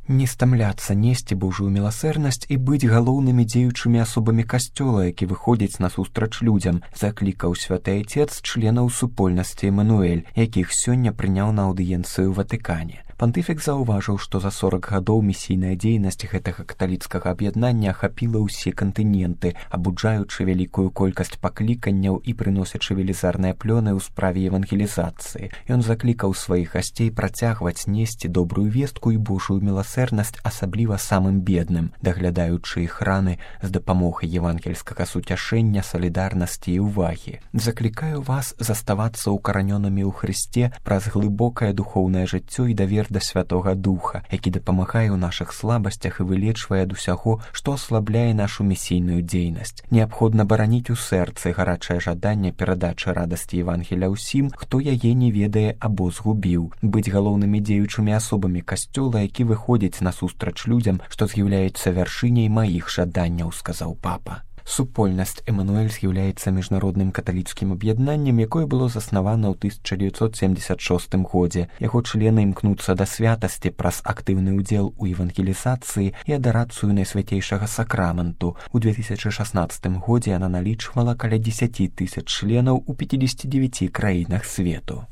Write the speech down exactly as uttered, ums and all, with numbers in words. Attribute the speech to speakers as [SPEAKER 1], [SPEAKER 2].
[SPEAKER 1] Не стамляцца несці Божую міласэрнасць і быць галоўнымі дзеючымі асобамі касцёла, які выходзіць насустрач людзям, заклікаў святы Айцец членаў супольнасці Эмануэль, якіх сёння прыняў на аўдыенцыю ў Ватыкане. Пантыфік заўважыў, што за сорак гадоў місійная дзейнасць гэтага каталіцкага аб'яднання ахапіла ўсе кантыненты, абуджаючы вялікую колькасць пакліканняў і прыносячы велізарныя плёны ў справе евангелізацыі. Ён заклікаў сваіх гасцей працягваць несці добрую вестку і Божую міласэрнасць, асабліва самым бедным, даглядаючы іх раны з дапамогай евангельскага суцяшэння, салідарнасці і ўвагі. Заклікаю вас заставацца ўкаранёнымі ў Хрысце праз глыбокае духоўнае жыццё і давер да Святога Духа, які дапамагае ў нашых слабасцях і вылечвае ад усяго, што аслабляе нашу місійную дзейнасць. Неабходна бараніць у сэрцы гарачае жаданне перадачы радасці Евангеля ўсім, хто яе не ведае або згубіў, быць галоўнымі дзеючымі асобамі касцёла, які выходзіць насустрач людзям, што з'яўляецца вяршыняй маіх жаданняў, сказаў папа. Супольнасць Эмануэль з'яўляецца міжнародным каталіцкім аб'яднаннем, якое было заснавана ў тысяча дзевяцьсот семьдесят шостым годзе. Яго члены імкнуцца да святасці праз актыўны ўдзел у евангелізацыі і адарацыю найсвяцейшага сакраменту. У две тысячи шаснаццатым годзе яна налічвала каля дзесяці тысяч членаў у пяцідзесяці дзевяці краінах свету.